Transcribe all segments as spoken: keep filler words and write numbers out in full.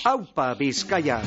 Aupa Bizkaia.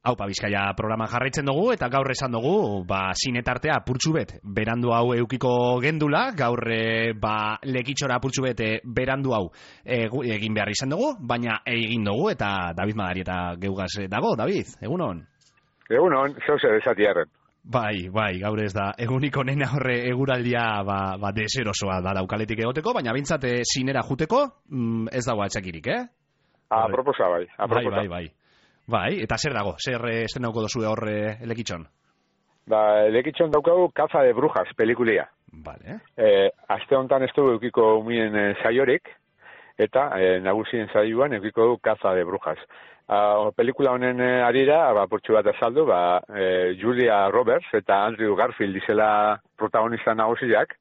Aupa Bizkaia programa jarraitzen dugu eta gaur esan dugu, ba, sinetartea apurtxu bet berandu hau eukiko gendula, gaur e, ba, lekitxora apurtxu bet berandu hau e, egin behar izan dugu, baina egin dugu eta David Madarieta geugaz dago. David, egunon? Egunon, zauze desatiarren. Bai, bai, gaur ez da eguniko nena horre eguraldia ba, ba deserosoa da daukaletik egoteko, baina bintzat e, sinera juteko mm, ez dago atxakirik, eh? Aproposa bai, aproposa. Bai, bai, bai. Bai, eta zer dago? Zer estrenauko dozue hor elekitxon? Ba, elekitxon daukagu Caza de Brujas, pelikulia. Vale. Eh, aste honetan ez dugu eukiko umien e, saiorik, eta e, nagusien saioan eukiko du Caza de Brujas. Uh, pelikula honen e, arira, ba, portxu bat azaldu, ba, e, Julia Roberts eta Andrew Garfield dizela protagonista nagusiak.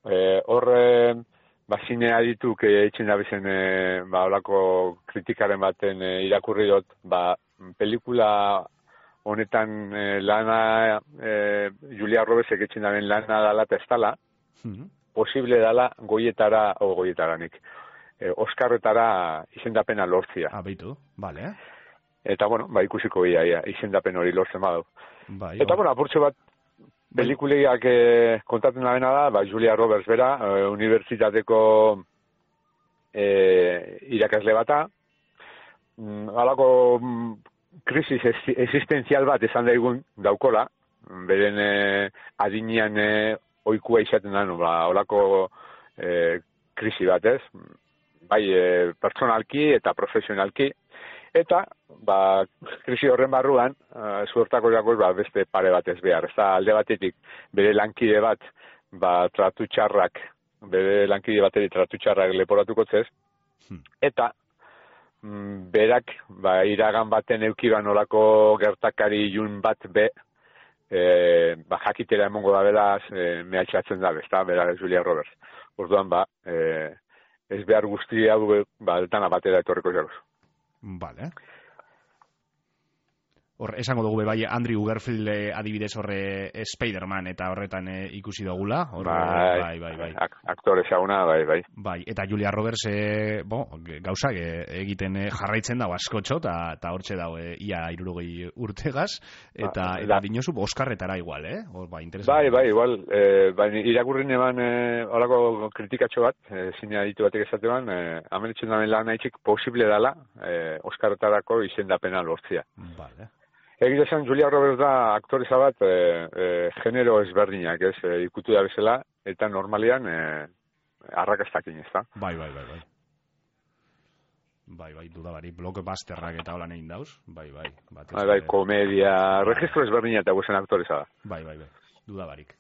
E, hor... E, Ba, zine adituk eitzen dabezen e, ba, olako kritikaren baten e, irakurri dut, ba, pelikula honetan e, lana, e, Julia Robertsek eitzen daben lana dala eta ez dala, mm-hmm. posible dala goietara, o goietaranik, e, Oskarretara izendapena lortzia. Ah, beitu, bale. Eta, bueno, ba, ikusiko ia, ia izendapen hori lortzen badu. Bai, eta, bueno, apurtxo bat, pelikuliak eh, kontatzen da bena da, ba, Julia Roberts bera, eh, unibertsitateko eh, irakasle bata, mm, alako mm, krisis existenzial bat esan daigun daukola, beren eh, adinean eh, oikua izaten da, no, ba, olako eh, krisi bat ez, bai eh, pertsonalki eta profesionalki, eta, ba, krisi horren barruan, uh, zuertako jakoz, ba, beste pare bat ez behar. Ez da, alde batetik, bere lankide bat, ba, tratu txarrak, bere lankide bateri tratu txarrak leporatuko zez, hmm. eta, mm, berak, ba, iragan baten eukiban olako gertakari jun bat be, e, ba, jakitera emongo da beraz, e, mehatxatzen da, ez da, bera Julia Roberts. Orduan, ba, e, ez behar guztia, ba, dana batera etorriko jakoz. Vale. Hor, esango dugu bai Andrew Garfield eh, adibidez horre eh, Spider-Man eta horretan eh, ikusi dugula. Hor, bai, bai, bai, bai. Ak aktore zauna, bai, bai. Bai, eta Julia Roberts eh, bo, gauzak eh, egiten eh, jarraitzen dago askotxo, eta hortxe dago eh, ia hirurogei urtegaz, eta, ba, eta dinosu Oskarretara igual, eh? Hor, bai, interesante. Bai, bai, igual, eh, bai, irakurrin eban eh, horako kritikatxo bat, eh, zine aditu batek esatean, eh, amenitzen damen lan haitxik posible dala eh, Oskarretarako izendapena lortzia. Vale. Egia esan, Julia Roberts da aktoreza bat e, e, genero ezberdinak, ez, e, ikutu da bezala, eta normalian e, arrakastakin, ez da? Bai, bai, bai, bai. Bai, bai, dudabari, blockbusterrak eta holan egin dauz, bai, bai. Bai, bai, komedia, registro ezberdinak eta guzen aktoreza da. Bai, bai, bai, dudabarik.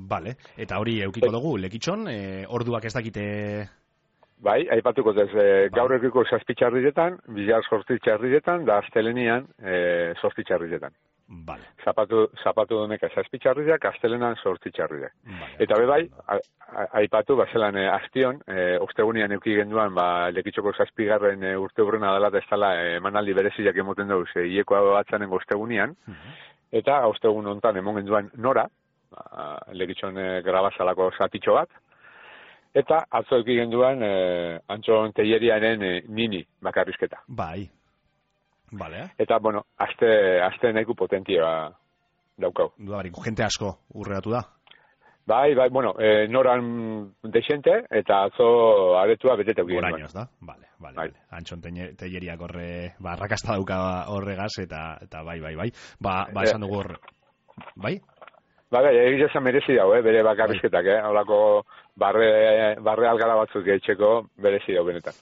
Vale, eta hori eukiko dugu, lekitxon, e, orduak ez dakite... Bai, aipatuko ez, e, gaur ekiko zazpitxarrizetan, bizar sortitxarrizetan, da astelenian e, sortitxarrizetan. Vale. Zapatu, zapatu doneka zazpitxarrizak, astelenan sortitxarrizak. Vale. Eta be bai, aipatu, bazelan e, astion, e, ostegunian euki genduan, ba, lekitxoko zazpigarren e, urte hurrena dela, da ez dala e, emanaldi bereziak emoten dauz, e, ieko batzanen ostegunian, uh -huh. eta ostegun hontan emon genduan nora, ba, lekitxon e, grabazalako zatitxo bat, eta atzo eki genduan eh, Antxon Telleriaren eh, nini bakarrizketa. Bai. Vale. Eta, bueno, aste, aste nahiko potentia daukau. Dudarik, jente asko urreatu da? Bai, bai, bueno, eh, noran desente, eta atzo aretua beteta eki genduan. Orainoz da? Vale, vale. Bai. Antxon Telleriak horre, ba, rakasta dauka horregaz, eta, eta bai, bai, bai. Ba, ba esan dugu hor... Bai? Ba, bai, egitea merezi dago, eh, bere bakarrizketak, eh, holako barre, barre algara batzuk etxeko berezi dau benetan.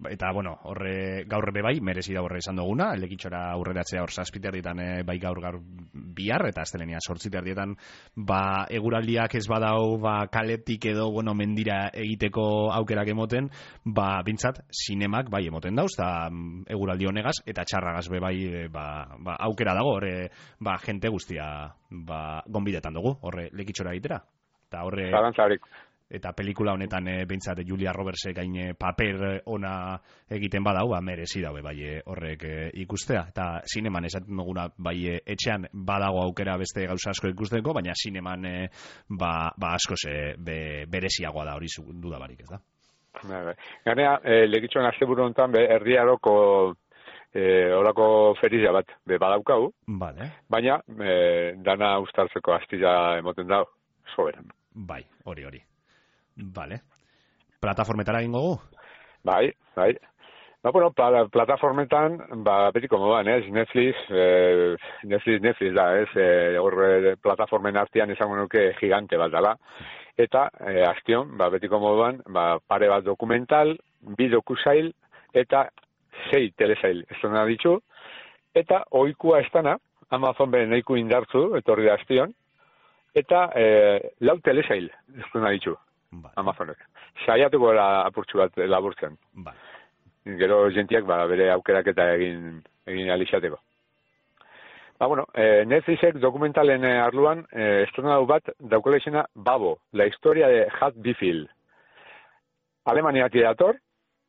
Eta, bueno, horre gaur be bai, merezi da horre esan duguna, lekitxora aurreratzea hor zazpiterdietan e, bai gaur gaur bihar, eta astelenia sortziterdietan, ba, eguraldiak ez badau, ba, kaletik edo, bueno, mendira egiteko aukerak emoten, ba, bintzat, sinemak bai emoten dauz, eta eguraldi honegaz, eta txarragaz be bai, e, ba, ba, aukera dago, horre, ba, jente guztia, ba, gonbidetan dugu, horre lekitxora egitera. Eta horre... Zalantzarik. Eta pelikula honetan e, behintzat Julia Robertsek gain e, paper ona egiten badau, ba, merezi daue bai e, horrek e, ikustea. Eta sineman esaten duguna bai e, etxean badago aukera beste gauza asko ikusteko, baina sineman e, ba, ba asko ze be, bereziagoa da hori duda barik, ez da? Ganea, e, lekitxoan asteburu honetan be, erdiaroko e, orako feria bat be badaukau, vale. Baina e, dana ustartzeko astilla emoten dau, soberan. Bai, hori hori. Vale. Plataformetara egingo gu? Bai, bai. Ba, bueno, pla, plataformetan, ba, betiko moduan, ez, Netflix, eh, Netflix, Netflix da, ez, eh, horre plataformen artean esango nuke gigante bat dela. Eta, eh, astion, ba, betiko moduan, ba, pare bat dokumental, bi dokusail, eta sei telesail, ez dena ditu, eta oikua estana, Amazon beren eiku indartzu, etorri da astion, eta eh, lau telesail, ez dena ditu. Vale. Amazonek. Saiatuko gara apurtxu bat laburtzen. Vale. Gero jentiak ba, bere aukerak eta egin, egin alixateko. Ba, bueno, eh, Netflixek dokumentalen eh, arluan eh, estrenatu bat daukela izena Babo, la historia de Hat Bifil. Alemaniak dator,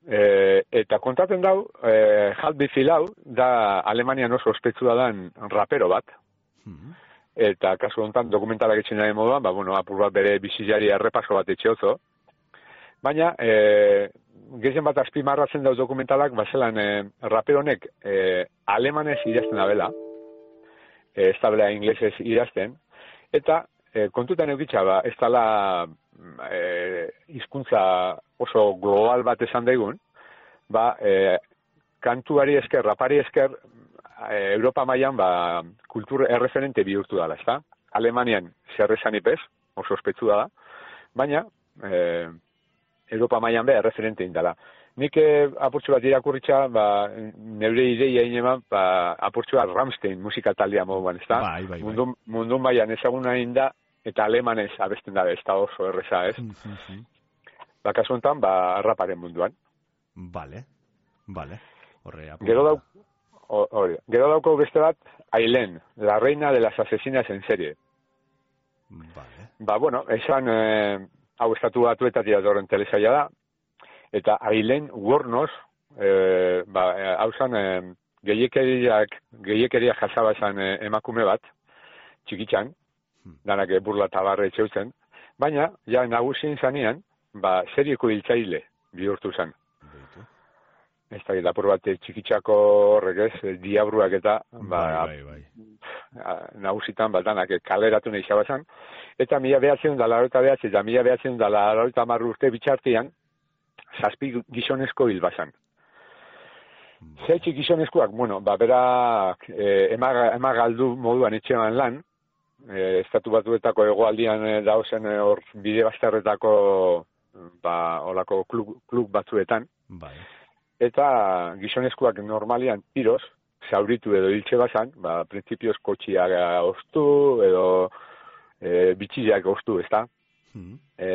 eh, eta kontatzen dau, eh, Hat Bifil hau da Alemanian oso ospetsua dan rapero bat. Mm-hmm. Eta kasu honetan dokumentalak etxen nahi moduan, ba, bueno, apur bat bere bizilari errepaso bat etxeozo. Baina, e, gehien bat azpimarratzen dauz dokumentalak, bazelan e, rapero honek e, alemanez idazten abela, e, ez tabela inglesez idazten, eta e, kontutan eukitza, ba, ez dala e, hizkuntza oso global bat esan daigun, ba, e, kantuari esker, rapari esker, Europa mailan ba, kultur erreferente bihurtu dela, ezta? Alemanian zer esan ipez, oso ospetsu da, baina e, Europa mailan be erreferente indala. Nik eh, apurtxu bat irakurritza, ba, neure ideia ineman, ba, apurtxu bat Rammstein musika taldea moduan, ezta? Bai, bai, bai. Mundun, mundun mailan ezaguna inda, eta alemanez abesten da, ez da oso erreza, ez? Mm-hmm. Ba, kasu honetan, ba, raparen munduan. Vale, vale. Horre, Gero dau, Hori, gero dauko beste bat, Aileen, la reina de las asesinas en serie. Vale. Ba, bueno, esan, eh, hau estatu batuetatik datorren telesaila da, eta Aileen Wuornos, eh, ba, hau zan, eh, gehiekeriak, gehiekeriak jasaba esan eh, emakume bat, txikitxan, hmm. danak burla tabarre etxeutzen, baina, ja, nagusin zanean, ba, serieko hiltzaile bihurtu zen. Ez da, lapur bat txikitxako horrek ez, diabruak eta ba, bai, bai, bai. nagusitan bat danak kaleratu nahi zabazan. Eta mila behatzen da larota behatzen, eta mila behatzen da larota marru urte bitxartian, zazpi gizonezko hil bazan. Zetxik gizonezkoak, bueno, ba, bera eh, ema galdu moduan etxean lan, eh, estatu batuetako hegoaldian eh, dauzen hor eh, bide bastarretako ba, olako klub, klub batzuetan. Bai. Eta gizonezkoak normalian tiroz, zauritu edo hiltxe bazan, ba, prinsipioz kotxiak ostu edo e, bitxileak ostu, ez da? Mm. E,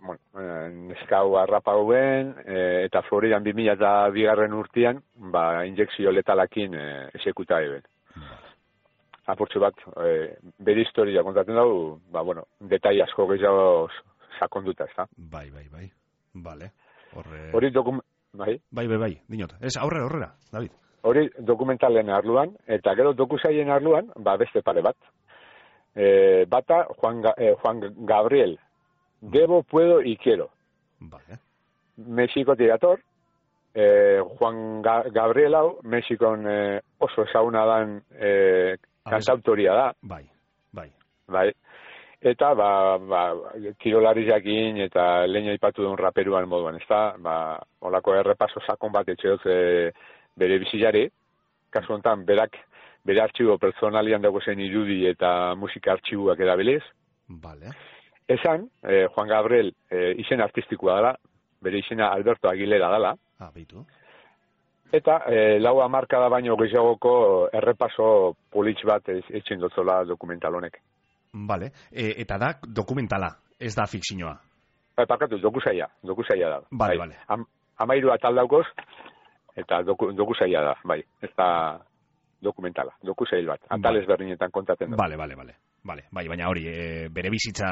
bueno, neskau harrapauen, e, eta Floridan bi mila eta bigarren urtean, ba, injekzio letalakin e, esekuta eben. Mm. Apurtxu bat, e, bere historia kontatzen dugu, ba, bueno, detai asko gehiago sakonduta, ez da? Bai, bai, bai, bale. Horre... Hori dokum... Bai, bai, bai, bai, dinot. Ez, aurrera, aurrera, David. Hori dokumentalen arluan, eta gero dokusaien arluan, ba, beste pare bat. E, bata, Juan, eh, Juan Gabriel, Debo, Puedo y Quiero. Vale. Mexiko tirator, eh, Juan Ga Gabriel hau, Mexikon eh, oso ezaguna dan eh, kantautoria da. Bai, bai. Bai. Eta, ba, ba, kirolari jakin eta leña ipatu duen raperuan moduan, ez da? Ba, olako errepaso sakon bat etxe dut e, bere bizilari. Kasu honetan, berak, bere artxibo personalian dago zen irudi eta musika artxibuak edabiliz. Vale. Esan, eh, Juan Gabriel eh, izen artistikoa dela, bere izena Alberto Aguilera dela. Ah, beitu. Eta eh, lau hamarkada baino gehiagoko errepaso politx bat etxen dotzola dokumental honek. Vale. E, eta da dokumentala, ez da fikzioa. Ba, parkatu, dokusaia, dokusaia da. Vale, bai. vale. Am, amairu atal daukoz, eta doku, dokusaia da, bai. Ez da dokumentala, dokusail bat. Atal Vale. ezberdinetan kontatzen da. Vale, vale, vale. Vale, bai, baina hori, e, bere bizitza,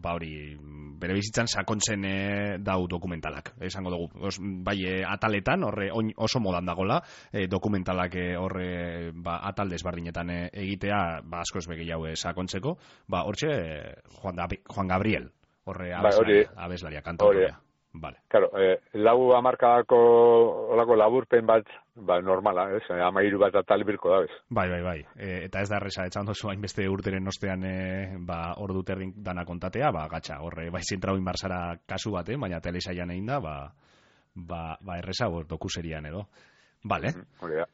ba hori, bere bizitzan sakontzen e, dau dokumentalak, esango dugu. Os, bai, e, ataletan, horre, oin, oso modan dagola, e, dokumentalak e, horre, ba, atal desberdinetan e, egitea, ba, asko ez begei hau e, sakontzeko, ba, hortxe, e, Juan, da, Juan Gabriel, horre, abeslaria, bai, abeslaria, kantautorea. Vale. Claro, eh, lau hamarkadako olako laburpen bat, ba, normala, ez? Amairu bat atal birko da, ez? Bai, bai, bai. E, eta ez da erresa, etxan dozu hainbeste urteren ostean e, ba, ordu terrin dana kontatea, ba, gatxa, horre, bai zentrau inbarzara kasu bate, baina telesaian egin da, ba, ba, ba erresa, hor, dokuserian edo. Vale. Hori da.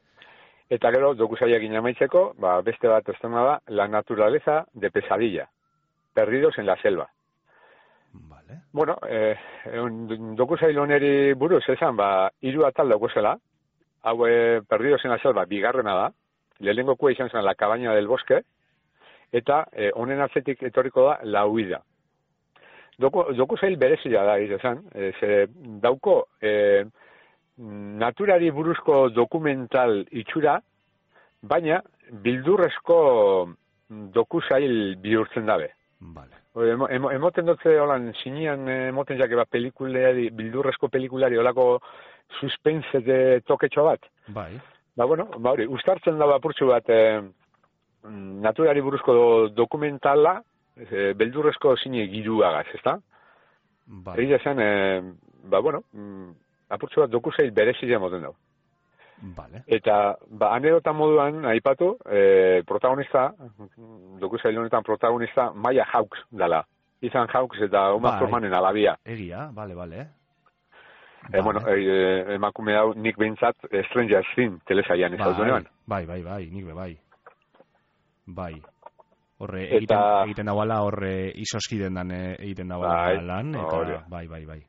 Eta gero, dokusaiak inamaitzeko, ba, beste bat estena da, La naturaleza de pesadilla, perdidos en la selva. Vale. Bueno, eh, un dokusail honeri buruz esan, ba, hiru atal daukosela, hau eh, perdidos en la selva, bigarrena da, lehenengokua izan zen La cabaña del bosque, eta eh, honen atzetik etorriko da La huida. Doku, dokusail berezia da, izan, eh, ze dauko eh, naturari buruzko dokumental itxura, baina bildurrezko dokusail bihurtzen dabe. Vale. Emo, emo, emoten dutze holan, sinian emoten jake bat pelikulari, bildurrezko pelikulari, holako suspense de toketxo bat. Bai. Ba, bueno, ba, hori, ustartzen da apurtxu bat eh, naturari buruzko do, dokumentala, eh, beldurrezko sine giruagaz, ezta? Bai. Egia zen, eh, ba, bueno, apurtxu bat dokusail berezia emoten dago. Vale. Eta, ba, anedota moduan, aipatu, eh, protagonista, dokusail honetan protagonista, Maya Hawks dala. Ethan Hawks eta Uma Bai. Thurmanen alabia. Egia, vale, vale. Eh, bueno, eh, emakume hau nik behintzat Stranger Things telesaian ezautu neban. Bai, bai, bai, nik be, bai. Bai. Horre, Eta- egiten, egiten dagoela, horre, izoskiden dan eh, egiten dagoela Bai, lan, eta, hori. bai, bai, bai.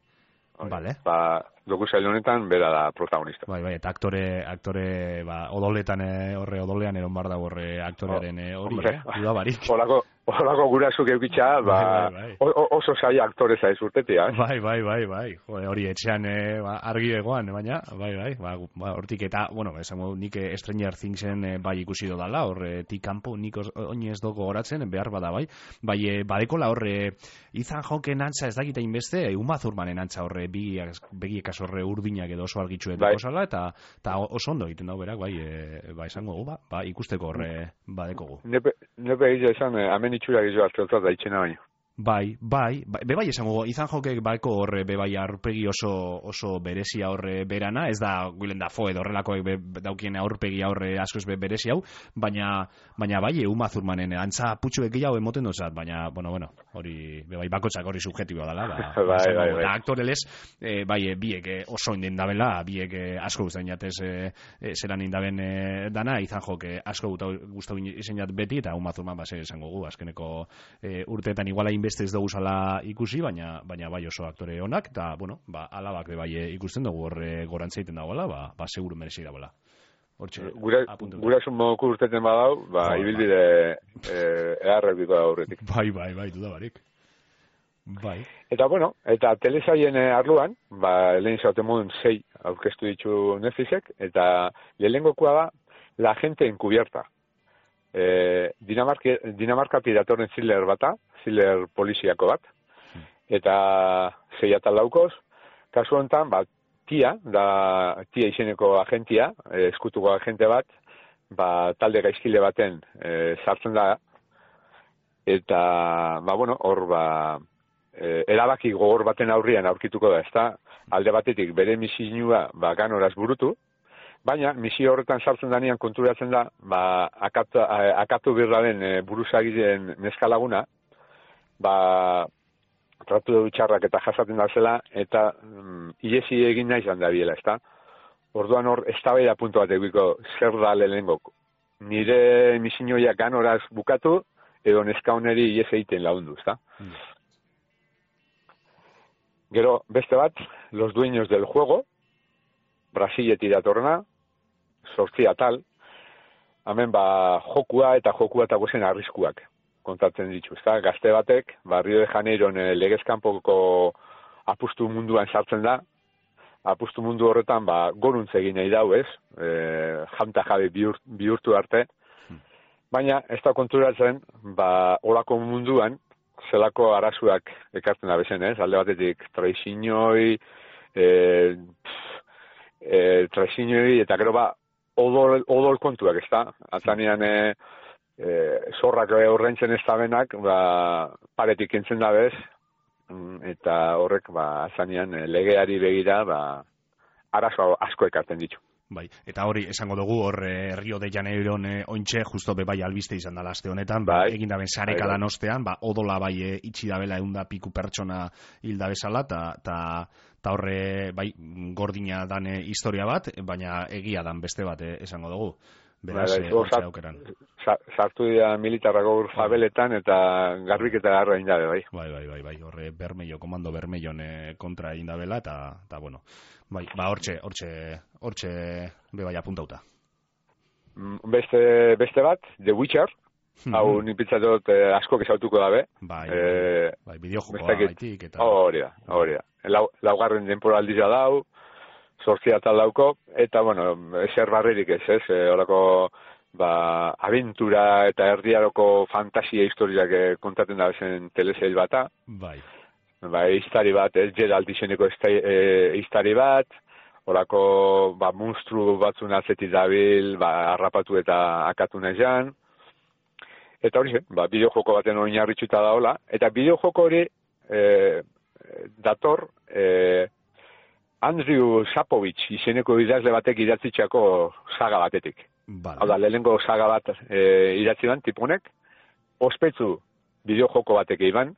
Hori, Vale. Ba, dokusail honetan bera da protagonista. Bai, bai, eta aktore, aktore, ba, odoletan, eh, horre, odolean eron bar da horre aktorearen eh, hori, Hombre, eh, dudabarik. Olako, olako gurasuk eukitza, ba, Bai, bai, bai. o- o- oso saia aktore zaiz urtetia, eh? Bai, bai, bai, bai. Jode, hori etxean eh, ba, argi egoan, baina, bai, bai, ba, gu- ba, hortik eta, bueno, esango nik eh, Stranger Thingsen eh, bai ikusi dodala, horre, tik kanpo nik os- oinez doko goratzen, behar bada, bai. Bai, eh, badekola horre, Ethan Hawken antza ez dakita inbeste, eh, Uma Thurmanen antza horre, begiekas horre urdinak edo oso argitxuet Bai. osala, eta, eta oso ondo egiten dau berak, bai, eh, ba, esango gu, ba, ba, ikusteko horre badekogu. Nepe, nepe egitea esan, eh, hemen itxura gizu hartzeutzat da itxena baino. Bai, bai, bai, be bai esango, Ethan Hawkek baiko horre, be bai aurpegi oso, oso berezia horre berana, ez da Willem Dafoe edo horrelakoek be, daukien aurpegi horre askoz be berezi hau, baina, baina bai, Uma Thurmanen antza putxuek gehiago emoten dozat, baina, bueno, bueno, hori, be bai, bakotxak hori subjetiboa dela, ba, Bai, esango, bai, bai. eta aktorelez, eh, bai, eh, biek eh, oso inden dabela, biek eh, asko guztain jatez eh, eh, zelan indaben eh, dana, Ethan Hawke eh, asko gustau izen jat beti, eta Uma Thurman base esango gu, azkeneko eh, urteetan iguala inbeste ez dugu zala ikusi, baina baina bai oso aktore onak, eta, bueno, ba, alabak be bai eh, ikusten dugu horre gorantza egiten dagoela, ba, ba seguru merezi dagoela. Hortxe, Gura, apuntu. gura moku urteten badau, ba, Jo, ibilbide eh, eharrek diko da aurretik. Bai, bai, bai, dudabarik. Bai. Eta, bueno, eta telesaien eh, arluan, ba, lehen zauten modun sei aurkeztu ditu Netflixek, eta lehenengokoa da La gente encubierta. Eh, Dinamarka, Dinamarka piratoren thriller bata, thriller poliziako bat, eta sei atal daukoz, kasu honetan, ba, tia, da tia izeneko agentia, eh, eskutuko agente bat, ba, talde gaizkile baten eh, sartzen da, eta, ba, bueno, hor, ba, eh, erabaki gogor baten aurrian aurkituko da, ezta, alde batetik bere misioa, ba, ganoraz burutu, baina misio horretan sartzen danean konturatzen da, ba, akatu, akatu birraren e, buruzagiren neska laguna, ba, tratu dugu txarrak eta jasaten da zela, eta mm, iesi egin nahi zan da biela, ezta? Orduan hor, eztabaida puntu bat egiko zer da lehenengo. Nire misioia ganoraz bukatu, edo neska honeri ies egiten lagundu, ezta? Mm. Gero, beste bat, Los dueños del juego, Brasiletik datorrena, sortzi atal, hemen ba, jokua eta jokua eta gozen arriskuak kontatzen ditu, ezta? Gazte batek, ba, Rio de Janeiron e, legezkanpoko apustu munduan sartzen da, apustu mundu horretan ba, goruntz egin nahi dau, ez? E, janta jabe bihur, bihurtu arte, baina ez da konturatzen, ba, olako munduan, zelako arazuak ekartzen da bezen, ez? Alde batetik traizinoi, e, e, traizinoi, eta gero ba, odol, odol kontuak, ez da? Atzanean, e, e, zorrak horrentzen ez da benak, ba, paretik entzen da bez, eta horrek, ba, atzanean, legeari begira, ba, arazo asko ekartzen ditu. Bai, eta hori esango dugu hor eh, Rio de Janeiron eh, ointxe justo be bai albiste izan dela aste honetan, ba, bai, egin daben sarekadan ostean, ba odola bai e, itxi dabela ehunda piku pertsona hilda bezala ta ta ta horre bai gordina dan e, historia bat, baina egia dan beste bat e, esango dugu. Beraz, bai, bai, e, aukeran. Sartu dira militarrako fabeletan eta garbiketa garra egin dabe, bai. Bai, bai, bai, bai, horre Bermejo, komando Bermellon e, kontra egin dabela, eta, eta bueno, bai, ba, hortxe, hortxe, hortxe, be bai apuntauta. Beste, beste bat, The Witcher, mm-hmm. Hau nipitzatot eh, asko kesautuko dabe. Bai, eh, bai, bideojokoa baitik, eta... Hori da, hori da. Lau, laugarren temporaldia dau, zortzia tal dauko, eta, bueno, eser barrerik ez, ez, e, orako, ba, aventura eta erdiaroko fantasia historiak e, kontaten da bezen telesail bata. Bai. Ba, iztari bat, ez, Geralt izeneko e, iztari bat, orako, ba, monstru batzun atzetik dabil, ba, harrapatu eta akatu nahian. Eta hori, ba, bideojoko baten oinarritxuta daola, eta bideojoko hori e, dator, e, Andrew Sapovich izeneko idazle batek idatzitxako saga batetik. Vale. Hau da, lehenengo saga bat e, idatzi ban, tipunek, ospetsu bideojoko batek iban,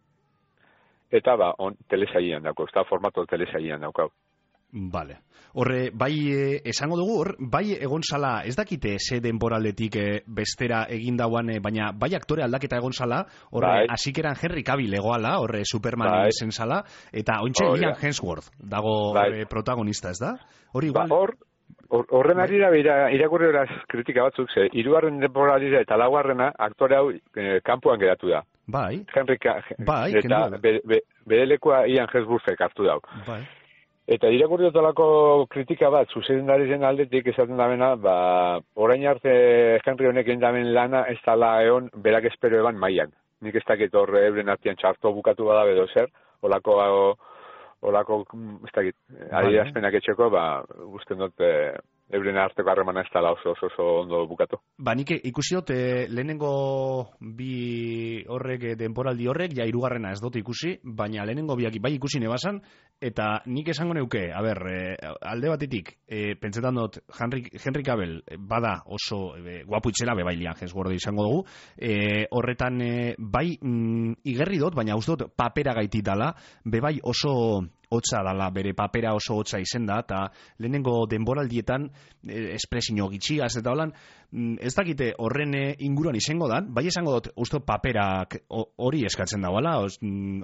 eta ba, on, telesaian dauko, ez da formato telesaian daukau. Vale. Horre, bai, eh, esango dugu, hor, bai egon zala, ez dakite ze denboraldetik eh, bestera egin dauan, eh, baina bai aktore aldaketa egon zala, horre, bai. Asikeran Henry Cavill egoala, horre, Superman bai. Zen zala, eta ointxe oh, Liam Hemsworth dago bai. Horre, protagonista, ez da? Hori igual... Ba, hor, or, horren ari da, irakurri horaz kritika batzuk, ze, irugarren denboraldea eta laugarrena aktore hau eh, kanpoan geratu da. Bai. Henry bai, eta bere be, be, lekoa Ian Hemsworthek hartu dau. Bai. Eta irakurri dutolako kritika bat, zuzendari zen aldetik esaten damena, ba, orain arte Henry honek endamen lana ez dala egon berak espero eban maian. Nik ez dakit hor euren artian txarto bukatu bada bedo zer, olako, olako, ez dakit, adierazpenak etxeko, ba, guztien dut, e, euren arteko harremana ez dala oso, oso, oso ondo bukatu. Ba, nik ikusi dut, eh, lehenengo bi horrek, denporaldi horrek, ja irugarrena ez dut ikusi, baina lehenengo biak bai ikusi nebasan, eta nik esango neuke, a ber, eh, alde batetik, eh, pentsetan dut, Henry, Henry Cavill bada oso eh, guapu itxela, bai Liam Hemsworth izango dugu, eh, horretan eh, bai mm, igerri dut, baina uste dut papera gaititala, be bai oso... hotza dala, bere papera oso hotza izen da, eta lehenengo denboraldietan eh, espresio gitxigaz eta holan, ez dakite horren inguruan izango dan, bai esango dut, uste paperak hori eskatzen dauala,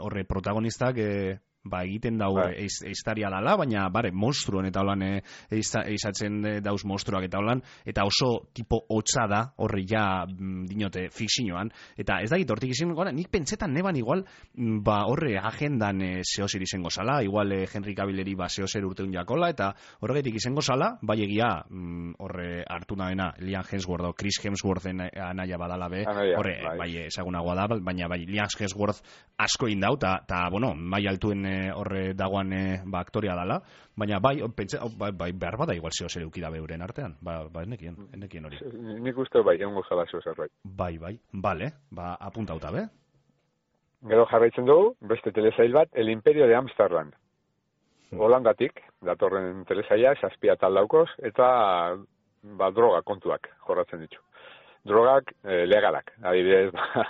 horre protagonistak eh, ba, egiten dau eiztaria dala, baina bare, monstruon eta holan eizatzen dauz monstruak eta holan, eta oso tipo hotza da, horre ja dinote fikzioan, eta ez dakit hortik izango gara, nik pentsetan neban igual, ba horre agendan e, zehozer izango zala, igual e, Henry Cavilleri ba zehozer urteun jakola, eta horregatik izango zala, bai egia mm, horre hartu nabena Liam Hemsworth o Chris Hemsworthen anaia badala be, horre bai, bai ezagunagoa da, baina bai Liam Hemsworth asko indau, eta bueno, bai altuen horre dagoan e, ba, aktoria dala, baina bai, pentsa, bai, bai behar bada igual zeo zer eukida beuren artean, ba, ba ennekien, ennekien hori. Nik uste bai, egon gozala zeo zer bai. Bai, bai, bale, ba, apuntauta, be? Gero jarraitzen dugu, beste telesail bat, El Imperio de Amsterdam. Hmm. Holandatik, datorren telesaila, zazpia tal daukoz, eta ba, droga kontuak jorratzen ditu. Drogak eh, legalak, adibidez, ba,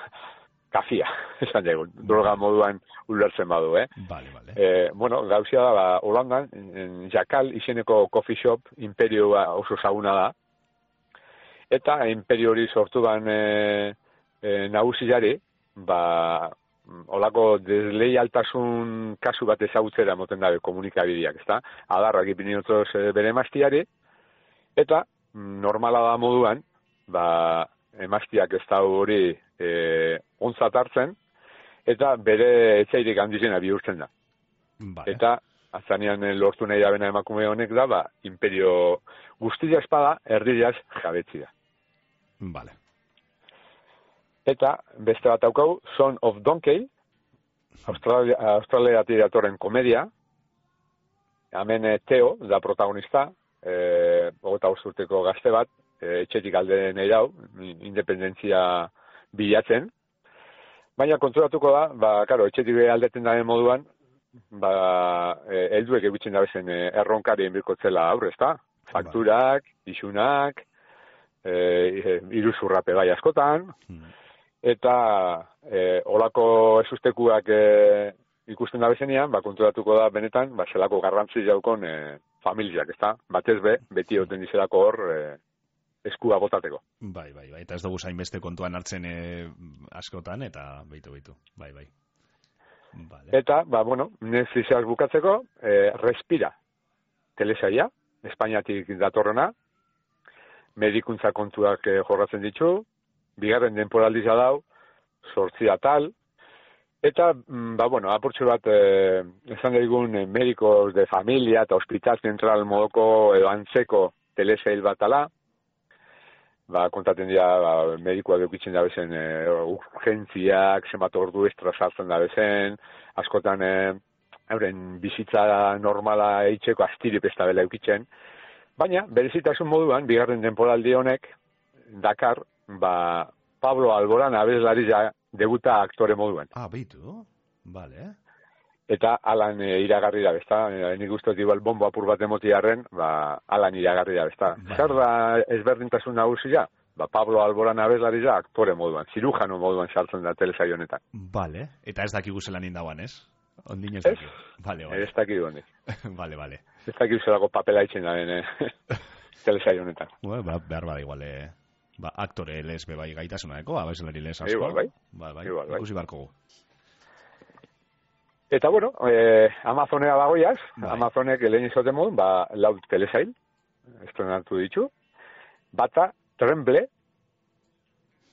kafia, esan dugu, droga moduan ulertzen badu, eh? Vale, vale. Eh, bueno, gauzia da, ba, Holandan, en Jakal izeneko coffee shop, imperioa oso zaguna da, eta imperio hori sortu ban e, e, nagusiari, ba, olako desleialtasun kasu bat ezagutzera moten dabe komunikabideak, ezta? Adarrak ipiniotoz bere emaztiari, eta normala da moduan, ba, emaztiak ez da hori e, ontzat hartzen, eta bere etxairik handizena bihurtzen da. Vale. Eta azanean lortu nahi dabena emakume honek da, ba, imperio guztia espada, erdiaz jabetzi da. Vale. Eta beste bat daukau, Son of Donkey, Australia, Australiatik datorren komedia, hemen Teo da protagonista, e, hogeita bost urteko gazte bat, e, etxetik alde nahi dau, independentzia bilatzen, baina konturatuko da, ba, karo, etxetik aldeten daren moduan, ba, e, helduek egutzen dabezen e, erronkarien birkotzela aurre, ezta? Fakturak, isunak, e, iruzurrape bai askotan, hmm. eta e, olako esustekuak e, ikusten dabezenean, ba, konturatuko da benetan, ba, zelako garrantzi jaukon e, familiak, ezta? Batez be, beti oten dizelako hor e, eskua botateko. Bai, bai, bai, eta ez dugu zainbeste kontuan hartzen e, askotan, eta beitu, beitu, bai, bai. Vale. Eta, ba, bueno, Netflixaz bukatzeko, e, Respira, telesaia, Espainiatik datorrena, medikuntza kontuak e, jorratzen ditu, bigarren denporaldiza dau, sortzi atal, eta, ba, bueno, apurtxo bat, e, esan daigun, e, medikos de familia eta hospital zentral modoko edo antzeko telesail bat ala, ba, kontaten dira, ba, medikoak eukitzen dabezen e, urgentziak, zenbat ordu estra sartzen dabezen, askotan e, euren bizitza normala eitzeko astirip ez da bela eukitzen, baina, berezitasun moduan, bigarren denporaldi honek, dakar, ba, Pablo Alborán abeslari debuta aktore moduan. Ah, beitu, vale. Eta alan e, iragarri da, bezta, e, nik uste igual bombo apur bat emotiarren, ba, alan iragarri da, bezta. Vale. Zer da ezberdintasun nagusia? Ba, Pablo Alborán abeslari da aktore moduan, zirujano moduan sartzen da telesaio honetan. Vale, eta ez dakigu zelan indagoan, ez? Ondino ez dakigu. Vale, vale. Ez dakigu honek. Vale, vale. Ez dakigu zelako papela itzen da, eh? telesaio honetan. Bueno, ba, behar bada igual, eh? Ba, aktore lesbe bai gaitasunareko, abeslari les asko. Igual, bai. Ba, bai. Igual, bai. Ikusi barko gu. Eta, bueno, eh, Amazonea dagoiaz, bai. Amazonek lehen izoten modun, ba, lau telesail, estrenatu ditu, bata, Tremble,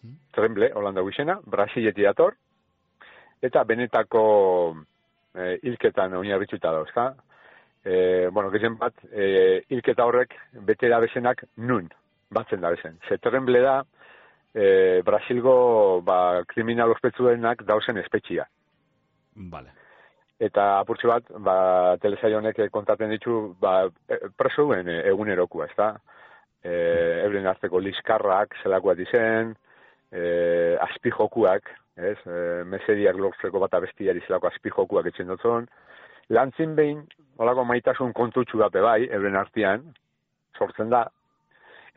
hmm. Tremble, Holanda guizena, Brasileti dator, eta benetako eh, hilketan oinarrituta da, ezta? Eh, bueno, gezen bat, eh, hilketa horrek bete da bezenak nun, batzen da bezen. Ze Tremble da, eh, Brasilgo ba, kriminal ospetsuenak dauzen espetxia. Vale. Eta apurtxo bat, ba, telesaio honek kontaten ditu, ba, presuen egunerokua, ezta? E, euren arteko liskarrak, zelakoak dizen, e, azpijokuak, ez? E, mesediak lortzeko bat abestiari zelako azpijokuak etxen dutzen. Lantzin behin, olako maitasun kontutxu bat bebai, euren artean, sortzen da,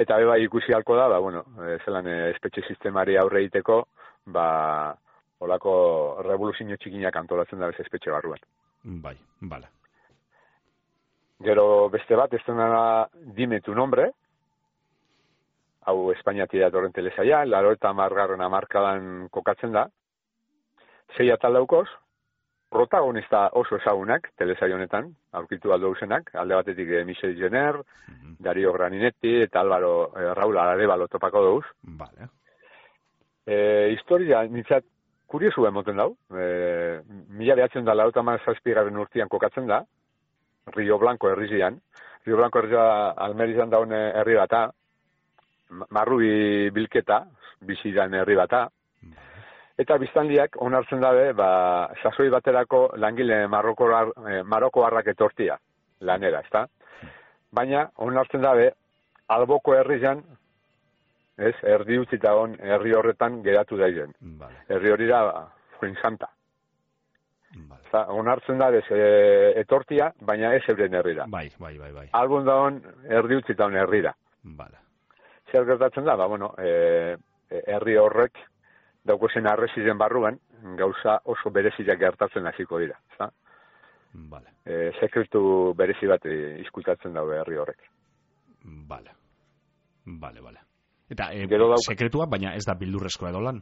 eta bebai ikusi halko da, ba, bueno, e, zelan e, espetxe sistemari aurre egiteko, ba, olako revoluzio txikinak antolatzen da bez espetxe barruan. Bai, bala. Gero beste bat, ez dena Dime tu nombre, hau Espainiatik datorren telesaia, laro eta margarren amarkadan kokatzen da, sei atal daukoz, protagonista oso ezagunak telesaio honetan, aurkitu aldo usenak, alde batetik eh, Michel Jenner, mm-hmm. Dario Graninetti eta Álvaro eh, Raúl Aradevalo topako dauz. Vale. Eh, historia, nintzat, kuriosu emoten dau, eh, mila behatzen da, laro eta mazazpigarren urtean kokatzen da, Rio Blanco herrizian, Rio Blanco herrizia Almerizan daun herri bata, marrubi bilketa, bizidan herri bata, eta biztanliak onartzen dabe, ba, sasoi baterako langile marrokoar, eh, marokoarrak etortia, lanera, ezta? Baina, onartzen dabe, alboko herrian, ez, erdi utzita on, herri horretan geratu daizen. Vale. Herri hori da, Fuensanta. Vale. Eta, onartzen dabe, e, etortia, baina ez euren herrira. Bai, bai, bai, bai. Albun da on, erdi utzita on herrira. Vale. Zer gertatzen da, ba, bueno, e, herri horrek, daukozen arreziren barruan, gauza oso bereziak gertatzen hasiko dira. Za? Vale. E, sekretu berezi bat izkutatzen daue herri horrek. Vale. Vale, vale. Eta e, dauk... sekretua, baina ez da bildurrezkoa edo lan?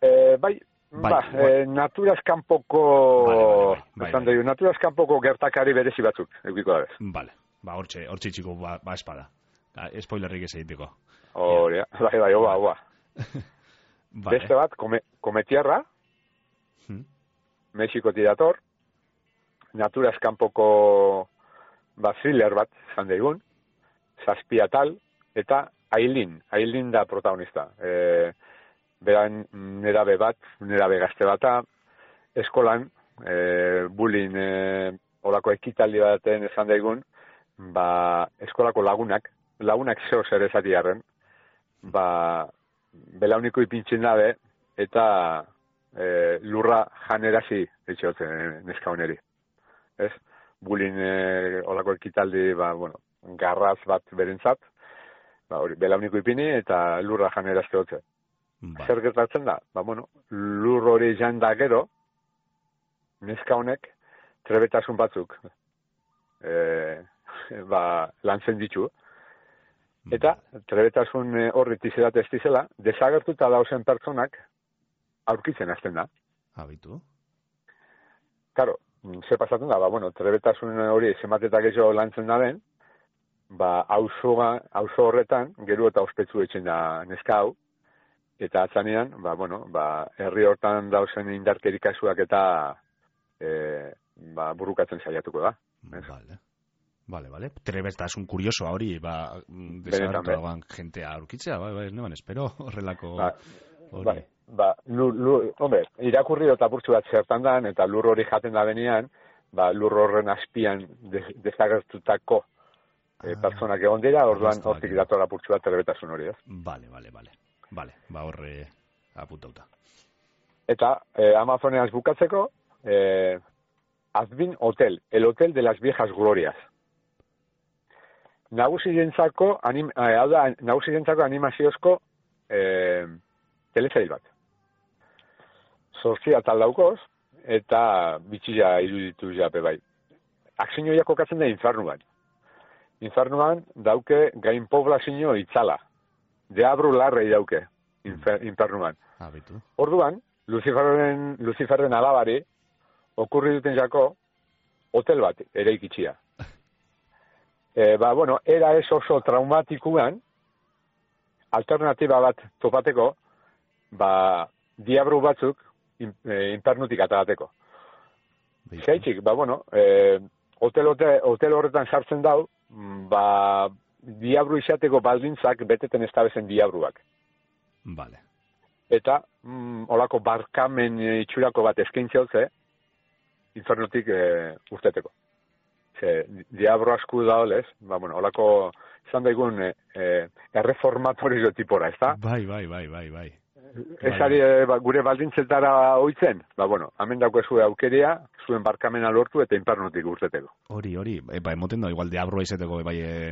E, bai, Bai, ba, bai. E, naturaz kanpoko, Vale, vale, bai, esan bai. dugu, naturaz kanpoko gertakari berezi batzuk, eukiko da bez. Vale, ba, hortxe, hortxe txiko, ba, ba espada. Da, spoilerrik ez egiteko. Hori, bai, bai, oba, oba. Vale. Beste bat, kome, kometiarra, Hmm. Mexikotik dator, naturaz kanpoko ba, thriller bat, zan daigun, zazpi atal, eta Aileen, Aileen da protagonista. E, beran nerabe bat, nerabe gazte bata, eskolan, e, bullying, e, olako ekitaldi baten esan daigun, ba, eskolako lagunak, lagunak zeo zer ezati harren, ba, belauniko ipintzen dabe, eta e, lurra janerazi, etxotzen neska honeri. Ez? Bullying e, olako ekitaldi, ba, bueno, garraz bat berentzat, ba, hori, belauniko ipini eta lurra janerazte hotze. Vale. Zer gertatzen da? Ba, bueno, lur hori jan da gero, neska honek trebetasun batzuk e, ba, lantzen ditu. Eta trebetasun horri tizerat ez dizela, desagertuta dauzen pertsonak aurkitzen hasten da. Habitu. Karo, ze pasatzen da, ba, bueno, trebetasun hori zenbatetak gehiago lantzen da den, ba, auzo horretan, gero eta ospetsu etxen da neska hau, eta atzanean, ba, bueno, ba, herri hortan dauzen indarkeri kasuak eta e, ba, burrukatzen saiatuko da. Vale. Vale, vale. Trebetasun kuriosoa hori, ba, desagertu dagoan jentea aurkitzea, bai, bai, neban, espero horrelako... Ba, hori. bai, ba, lur, lur, hombre, irakurri eta burtsu bat zertan dan, eta lur hori jaten da benean, ba, lur horren azpian de, desagertutako e, pertsonak egon dira, orduan hortik datora burtsu bat trebetasun hori, ez? Vale, vale, vale. Vale, ba horre apuntauta. Eta eh, Amazoneaz bukatzeko, eh, Azbin Hotel, el hotel de las viejas glorias. Nagusientzako anim, eh, hau da, nagusientzako animaziozko eh, telesail bat. Zortzia tal daukoz, eta bitxia iruditu jape bai. Akzinoia kokatzen da infernuan. Infernuan dauke gain poblazio itzala. Deabru larrei dauke, infer, infernuan. Habitu. Orduan, Luciferren, Luciferren alabari, okurri duten jako, hotel bat ere ikitxia. E, ba, bueno, era ez oso traumatikuan, alternatiba bat topateko, ba, diabru batzuk in, e, infernutik atarateko. Zaitxik, ba, bueno, e, hotel, hotel, hotel horretan sartzen dau, ba, diabru izateko baldintzak beteten ez tabezen diabruak. Vale. Eta, mm, olako barkamen itxurako bat eskaintze hotze, infernutik e, urteteko. Ze, diabro asku da olez, ba, bueno, olako, izan daigun, e, e, erreformatorio tipora, ez da? Bai, bai, bai, bai, bai. Ezari e, ba, gure baldintzetara oitzen, ba, bueno, hemen dauko zuen aukeria, zuen barkamena lortu eta infernutik urteteko. Hori, hori, e, ba, emoten da, igual diabroa izeteko, bai, e,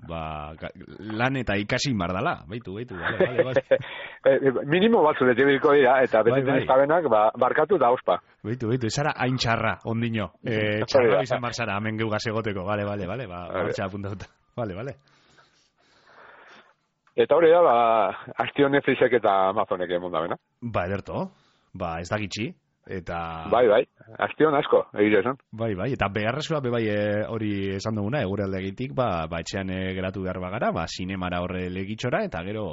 ba, lan eta ikasi mardala, baitu, baitu, bale, bale, bale. Minimo batzu detebilko dira, eta betetzen bai, ez tabenak, ba, barkatu da ospa. Baitu, baitu, esara hain txarra, ondino. E, txarra bizan barzara, hemen geugaz egoteko, bale, bale, bale, ba, hortxa apuntatuta. Bale, bale. Eta hori da, ba, Aztio Netflixek eta Amazonek emon da bena. Ba, ederto, ba, ez da gitxi. Eta... Bai, bai, Aztion asko, egire esan. Bai, bai, eta beharrezkoa be bai e, hori esan duguna, egure aldegitik, ba, ba etxean e, geratu behar bagara, ba, sinemara horre legitxora, eta gero,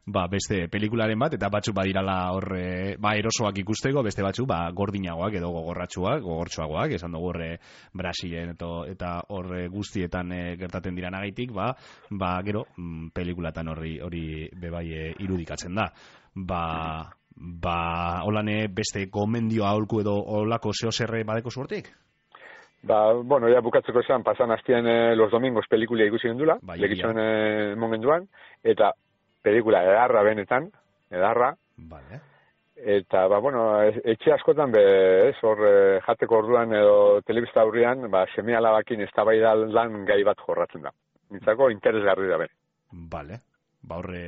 ba, beste pelikularen bat, eta batzuk badirala horre, ba, erosoak ikusteko, beste batzuk, ba, gordinagoak edo gogorratsuak, gogortsuagoak, esan dugu horre Brasilen eto, eta horre guztietan e, gertaten diranagaitik, ba, ba, gero, mm, pelikulatan horri, hori be bai e, irudikatzen da. Ba... Ba, holane beste gomendio aholku edo holako zeo zerre badeko zuertik? Ba, bueno, ya bukatzeko esan, pasan hastian eh, los domingos pelikulia ikusi gendula, bai, legitxoen eh, mongenduan, eta pelikula edarra benetan, edarra. Vale. Eta, ba, bueno, etxe askotan be, ez, hor eh, jateko orduan edo telebista aurrian, ba, seme alabakin eztabaida lan gai bat jorratzen da. Nintzako interesgarri da bene. Vale. Ba, horre...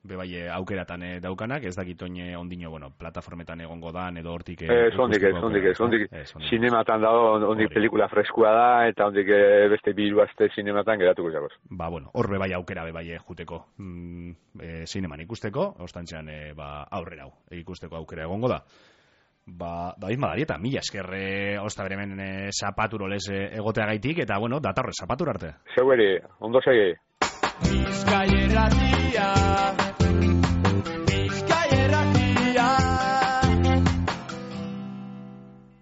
bebai aukeratan e, daukanak, ez dakit oin ondino, bueno, plataformetan egongo dan, edo hortik... Ez, ondik ez, ondik ez, ondik sinematan dago, ondik pelikula freskua da, eta ondik beste biru azte sinematan geratuko jagoz. Ba, bueno, hor bebai aukera bebai juteko mm, e, sineman ikusteko, ostantzean e, ba, aurrera hau, ikusteko aukera egongo da. Ba, David Madarieta, mila eskerre osta beremen e, zapaturolez e, egoteagaitik, eta, bueno, datorre zapatur arte. Zeueri, ondo segi. Bizkaierratik